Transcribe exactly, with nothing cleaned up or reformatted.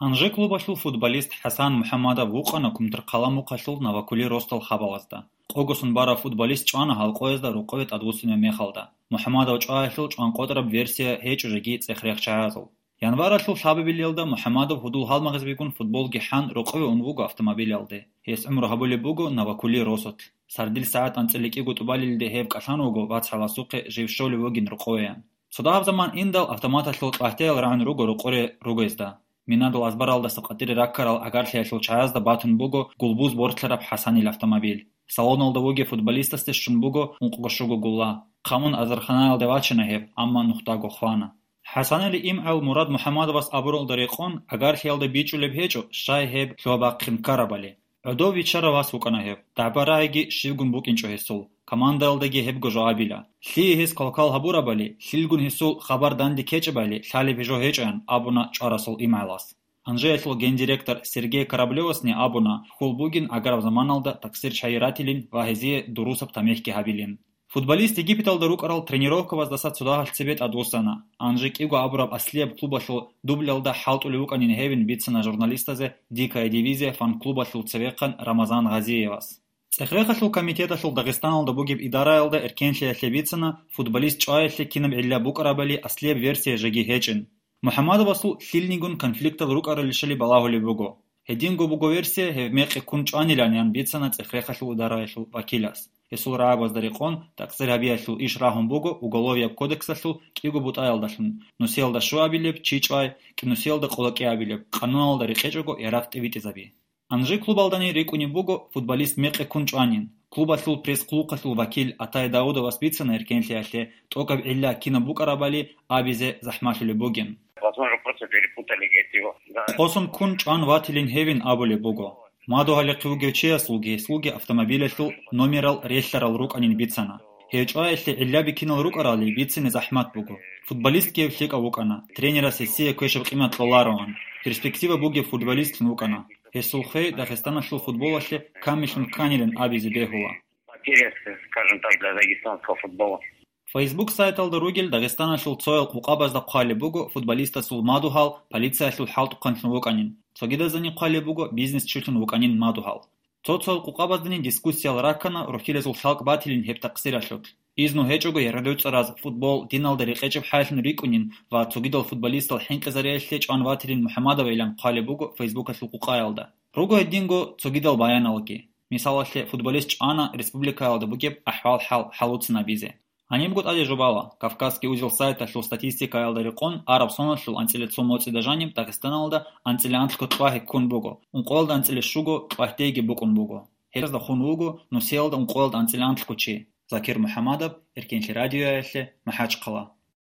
Анжи клубалъул футболист ХӀасан МухӀамадов вукъана Кумтархъала мухъалъул Новокули-Ростал хабалазда. Къогосон барав футболист чӀвана гьалкъоязда рокъове тӀадвуссинаб мехалда. МухӀамадов чӀваялъул чӀванкъотӀараб версия гьечӀо жеги цӀех-рехчагӀазул. Январалъул лъабабилелда МухӀамадов гьудул-гьалмагъаз бигун футболги хӀан рокъове ун вуго автомобилалде. Гьес гӀумру гьабулеб буго Новокули-Росотлъ. Сардил сагӀат анцӀила кӀиго тӀубалилде гьев кӀалъан вуго вацгӀаласухъе жив щолев вугин рокъовеян. Цо дагьаб заман индал автоматалъул чӀватиял рагӀун руго рокъоре ругезда. Минадул азбаралдаса къватӀире раккарал гӀагарлъиялъул чагӀазда батун буго гулбуз бортлъараб ХӀасанил автомобиль. Салоналда вугев футболистасде щун буго ункъго-щуго гулла. Хъамун азарханаялде вачана гьеб, амма нухдаго хвана. ХӀасанил имгӀал Мурад МухӀамадовас абуралда рекъон, гӀагарлъиялда бичӀчӀулеб гьечӀо, щай гьеб лъугьа-бахъин ккарабали. ГӀодов виччарав вас вукӀана гьев. ДагӀба-рагӀиги щивгун букӀинчӀо гьесул, командаялдаги гьебго жо абила. Лъие гьес квалквал гьабурабали, лъилгун гьесул хабар данде ккечӀебали, лъалеб жо гьечӀоян, абуна чӀварасул имгӀалас. Анжиялъул гендиректор Сергей Кораблевасни абуна, хьул бугин аграб заманалда такъсир чагӀи ратилин ва гьезие дурусаб тамихӀги гьабилин. Футболист Египеталда рукӀарал тренировкабаздаса цо дагьалъ цебе тӀадвуссана. Анжи кӀиго абураб аслияб клубалъул дубльалда хӀалтӀулев вукӀанин гьевин бицана журналистазе «Дикая дивизия» фан-клубалъул цевехъан Рамазан Гъазиевас. ЦӀех-рехалъул комитеталъул Дагъистаналда бугеб идараялда эркенлъиялъе бицана, футболист чӀваялъе кинаб гӀилла букӀарабали аслияб версия жеги гьечӀин. МухӀамадовасул лъилнигун конфликтал рукӀаралищали балагьулеб буго. Гьединго буго версия, гьев мекъи ккун чӀванилан, ян бицана цӀех-рехалъул идараялъул вакилас. Гьесул рагӀабазда рекъон, такъсир гьабиялъул иш рагьун буго Уголовияб кодексалъул кӀиго бутӀаялдалъун: нусиялда щуабилеб, чи чӀвай, кӀинусиялда къолокӀиабилеб, къануналда рекъечӀого ярагъ тӀибитӀизаби. Анжи клубалдани рикӀкӀунеб буго, футболист мекъи ккун чӀванин. Клубалъул пресс-хъулухъалъул вакил Атай Даудовас бицана эркенлъиялъе тӀокӀаб гӀилла кинаб букӀарабали абизе захӀмалъулеб бугин. Возможно, просто перепутали эти его. Да. Къосун ккун чӀван ватилин гьевин абулеб буго. Мадугьалихъе вугев чиясулги гьесулги автомобилялъул номерал релълъарал рукӀанин бицана. Гьев чӀваялъе гӀиллаби кинал рукӀарали бицине захӀмат буго. Футболистги гьев лъикӀав вукӀана, тренерас гьесие квешаб къимат кьолароан. Перспектива бугев футболистлъун вукӀана. Гьесул хвей Дагъистаналъул футболалъе камиллъун кканилан абизе бегьула. Потеря, скажем так, для дагестанского футбола. Facebook сайталда ругел Дагъистаналъул цоял къукъабазда хъвалеб буго футболистасул мадугьал полициялъул хӀалтӀухъанлъун вукӀанин. Цогидазани хъвалеб буго бизнес чилъун вукӀанин мадугьал. Цо-цоял къукъабаздани дискуссиял раккана рухӀилазул лъалкӀ батилин гьеб такъсиралъулъ. Изну гьечӀого яргъадуцӀараз футбол диналда рекъечӀеб хӀайлъун рикӀкӀунин ва цогидал футболистал хӀинкъизариялъе чӀван ватилин МухӀаммадовайилан хъвалеб буго Фейсбукалъул къукъаялда. Руго гьединго цогидал баяналги. Мисалалъе, футболист чӀвана республикаялда бугеб ахӀвал-хӀал хӀалуцин абизе. Гьанибго тӀаде жубала, Кавказский узел сайталъул статистикаялда рекъон, араб соналъул анцӀила цо моцӀида жаниб Дагъистаналда анцӀила анлъго кьвагьи ккун буго, ункъоялда анцӀила щуго кьвагьдейги букӀун буго. Гьезда хун вуго нусиялда ункъоялда анцӀила анлъго чи. Закир МухӀаммадов, Эркенлъи радиоялъе, МахӀачхъала.